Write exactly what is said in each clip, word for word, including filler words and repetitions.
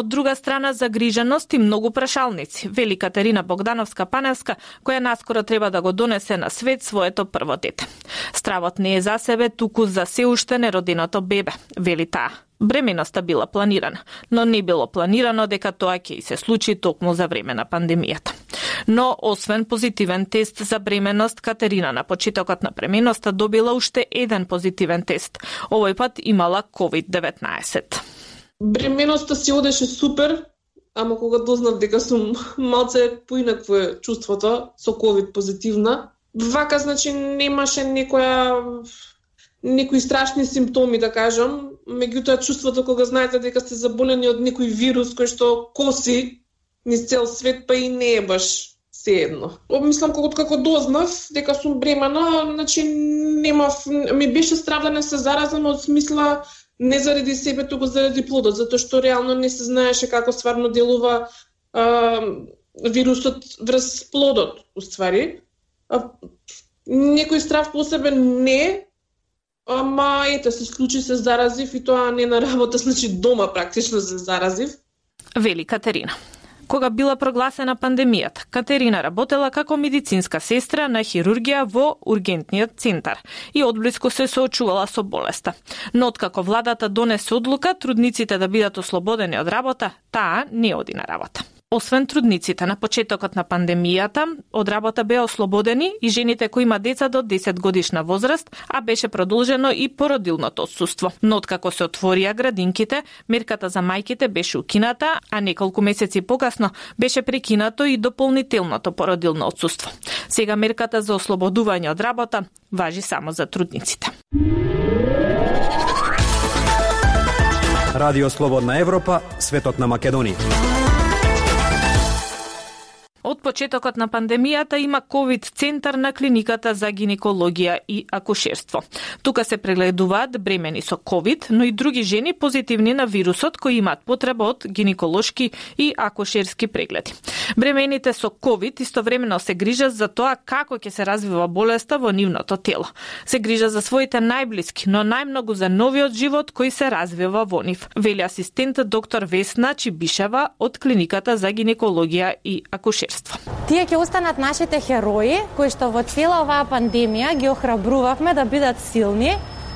од друга страна загриженост и многу прашалници, вели Катерина Богдановска-Паневска, која наскоро треба да го донесе на свет своето прво дете. Стравот не е за себе, туку за се уште нероденото бебе, вели таа. Бременоста била планирана, но не било планирано дека тоа ќе и се случи токму за време на пандемијата. Но, освен позитивен тест за бременост, Катерина на почетокот на бременоста добила уште еден позитивен тест. Овој пат имала ковид деветнаесет. Бременоста си одеше супер, ама кога дознав дека сум малце поинакво е чувството со ковид позитивна, вака значи немаше некоја некои страшни симптоми, да кажам, меѓутоа чувството кога знаете дека сте заболени од некој вирус кој што коси низ цел свет, па и не е баш сеедно. Мислам, кога како дознав дека сум бремена, значи немав, ми беше страв да не се заразам, од смисла не заради себе, туку заради плодот, затоа што реално не се знаеше како стварно делува а, вирусот врз плодот, уствари. А, некој страв посебен не, ама ете се случи, се заразив и тоа не на работа, значи дома практично се заразив. Вели Катерина. Кога била прогласена пандемијата, Катерина работела како медицинска сестра на хирургија во ургентниот центар и одблиску се соочувала со болеста. Но откако владата донесе одлука трудниците да бидат ослободени од работа, таа не оди на работа. Освен трудниците на почетокот на пандемијата, од работа беа ослободени и жените кои има деца до десет годишна возраст, а беше продолжено и породилното отсуство. Но откако се отворија градинките, мерката за мајките беше укината, а неколку месеци покасно беше прекинато и дополнителното породилно отсуство. Сега мерката за ослободување од работа важи само за трудниците. Радио Слободна Европа, светот на Македонија. Од почетокот на пандемијата има ковид центар на клиниката за гинекологија и акушерство. Тука се прегледуваат бремени со ковид, но и други жени позитивни на вирусот кои имаат потреба од гинеколошки и акушерски прегледи. Бремените со ковид истовремено се грижат за тоа како ќе се развива болеста во нивното тело. Се грижат за своите најблиски, но најмногу за новиот живот кој се развива во нив, вели асистент доктор Весна Чибишева од клиниката за гинекологија и акушерство. Тие ќе останат нашите херои, кои што во цела оваа пандемија ги охрабрувавме да бидат силни,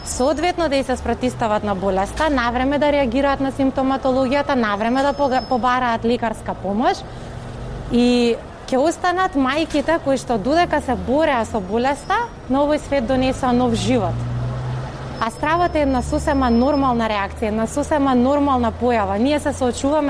соодветно да и се спротивстават на болеста, навреме да реагираат на симптоматологијата, навреме да побараат лекарска помош и ќе останат мајките кои што додека се бореа со болеста, на овој свет донесоа нов живот. А стравот е една сосема нормална реакција, една сосема нормална појава. Ние се соочуваме